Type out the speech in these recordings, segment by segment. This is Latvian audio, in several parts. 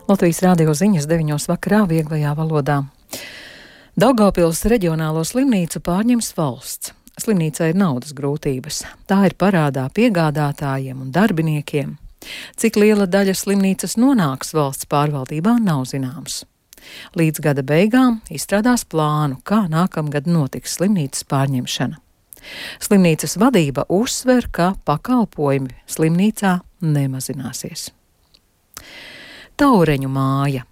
Latvijas radio ziņas 9 vakarā vieglajā valodā. Daugavpils reģionālo slimnīcu pārņems valsts. Slimnīcai ir naudas grūtības. Tā ir parādā piegādātājiem un darbiniekiem. Cik liela daļa slimnīcas nonāks valsts pārvaldībā, nav zināms. Līdz gada beigām izstrādās plānu, kā nākamgad notiks slimnīcas pārņemšana. Slimnīcas vadība uzsver, ka pakalpojumi slimnīcā nemazināsies. Taureņu māja.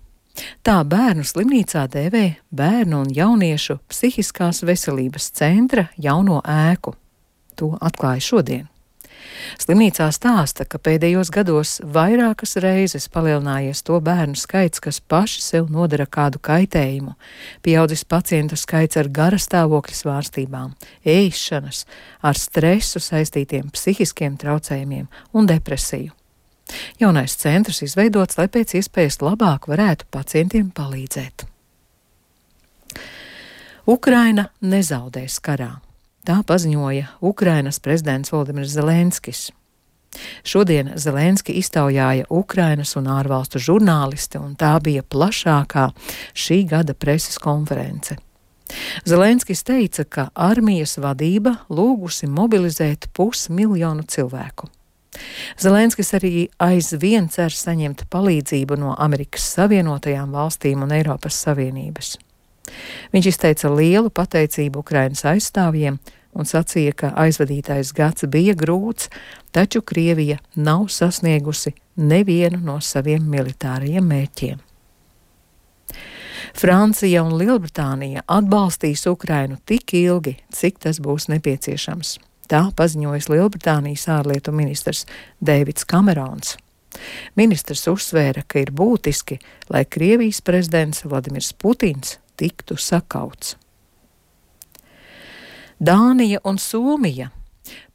Tā bērnu slimnīcā dēvē Bērnu un jauniešu psihiskās veselības centra jauno ēku. To atklāja šodien. Slimnīcā stāsta, ka pēdējos gados vairākas reizes palielinājies to bērnu skaits, kas paši sev nodara kādu kaitējumu. Pieaudzis pacientu skaits ar garastāvokļa svārstībām, ēšanas, ar stresu saistītiem psihiskiem traucējumiem un depresiju. Jaunais centrs izveidots, lai pēc iespējas labāk varētu pacientiem palīdzēt. Ukraina nezaudēs karā. Tā paziņoja Ukrainas prezidents Volodimirs Zelenskis. Šodien Zelenski iztaujāja Ukrainas un ārvalstu žurnālisti, un tā bija plašākā šī gada preses konference. Zelenskis teica, ka armijas vadība lūgusi mobilizēt 500 000 cilvēku. Zelenskis arī aizvien cer saņemt palīdzību no Amerikas Savienotajām valstīm un Eiropas Savienības. Viņš izteica lielu pateicību Ukrainas aizstāvjiem un sacīja, ka aizvadītais gads bija grūts, taču Krievija nav sasniegusi nevienu no saviem militārajiem mērķiem. Francija un Lielbritānija atbalstīs Ukrainu tik ilgi, cik tas būs nepieciešams. Tā paziņojas Lielbritānijas ārlietu ministrs Deivids Kamerons. Ministrs uzsvēra, ka ir būtiski, lai Krievijas prezidents Vladimirs Putins tiktu sakauts. Dānija un Somija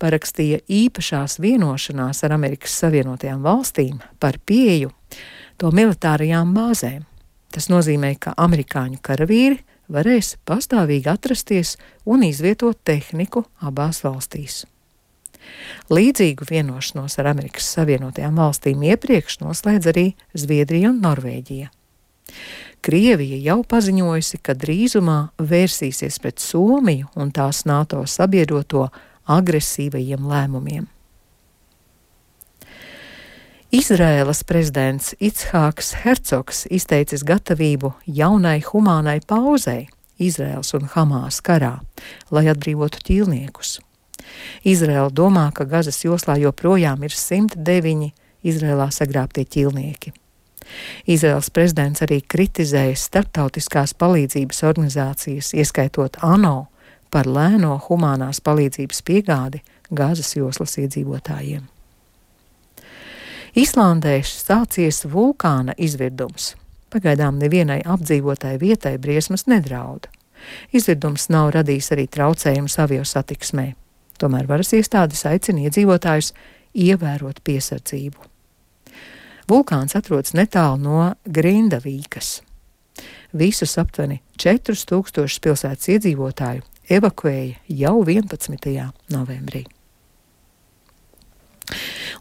parakstīja īpašās vienošanās ar Amerikas Savienotajām valstīm par pieeju to militārajām bāzēm. Tas nozīmē, ka amerikāņu karavīri varēs pastāvīgi atrasties un izvietot tehniku abās valstīs. Līdzīgu vienošanos ar Amerikas Savienotajām valstīm iepriekš noslēdz arī Zviedrija un Norvēģija. Krievija jau paziņojusi, ka drīzumā vērsīsies pret Somiju un tās NATO sabiedroto agresīvajiem lēmumiem. Izraēlas prezidents Ichāks Hercogs izteicis gatavību jaunai humānai pauzei Izraēlas un Hamās karā, lai atbrīvotu ķīlniekus. Izraēla domā, ka Gazas joslā joprojām ir 109 Izraēlā sagrābtie ķīlnieki. Izraēlas prezidents arī kritizēja starptautiskās palīdzības organizācijas, ieskaitot ANO, par lēno humānās palīdzības piegādi Gazas joslas iedzīvotājiem. Islandē sācies vulkāna izvirdums. Pagaidām nevienai apdzīvotai vietai briesmas nedraud. Izvirdums nav radījis arī traucējumus aviosatiksmē. Tomēr varas iestādes aicina iedzīvotājus ievērot piesardzību. Vulkāns atrodas netālu no Grindavīkas. Visus aptuveni 4000 pilsētas iedzīvotāju evakuēja jau 11. novembrī.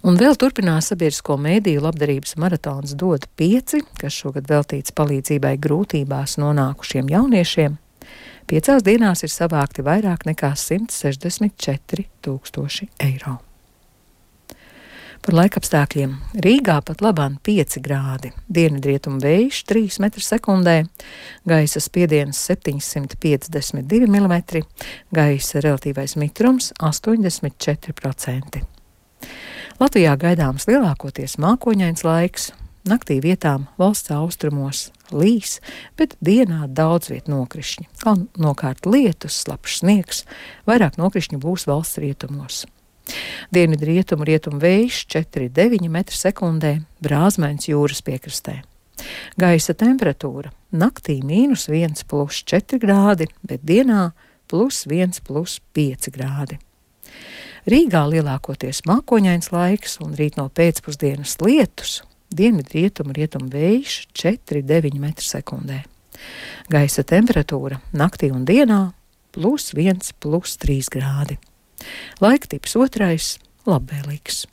Un vēl turpinās sabiedrisko mēdīju labdarības maratons Dod 5, kas šogad veltīts palīdzībai grūtībās nonākušiem jauniešiem. 5 dienās ir savākti vairāk nekā 164 000 eiro. Par laikapstākļiem. Rīgā pat labāk 5 grādi, dienvidrietumu vējš 3 m/sekundē, gaisa spiediens 752 mm, gaisa relatīvais mitrums 84%. Latvijā gaidāms lielākoties mākoņains laiks, naktī vietām valsts austrumos līs, bet dienā daudz viet nokrišņi. Galvenokārt lietus, slapjš sniegs, vairāk nokrišņu būs valsts rietumos. Dienvidrietumu rietumu vējš 4,9 m/sekundē, brāzmains jūras piekrastē. Gaisa temperatūra naktī -1 + 4 grādi, bet dienā +1 + 5 grādi. Rīgā lielākoties mākoņains laiks un rīt no pēcpusdienas lietus, dienvidrietumu rietumu vējš 4,9 m/sekundē. Gaisa temperatūra naktī un dienā +1 + 3 grādi. Laiktips otrais - labvēlīgs.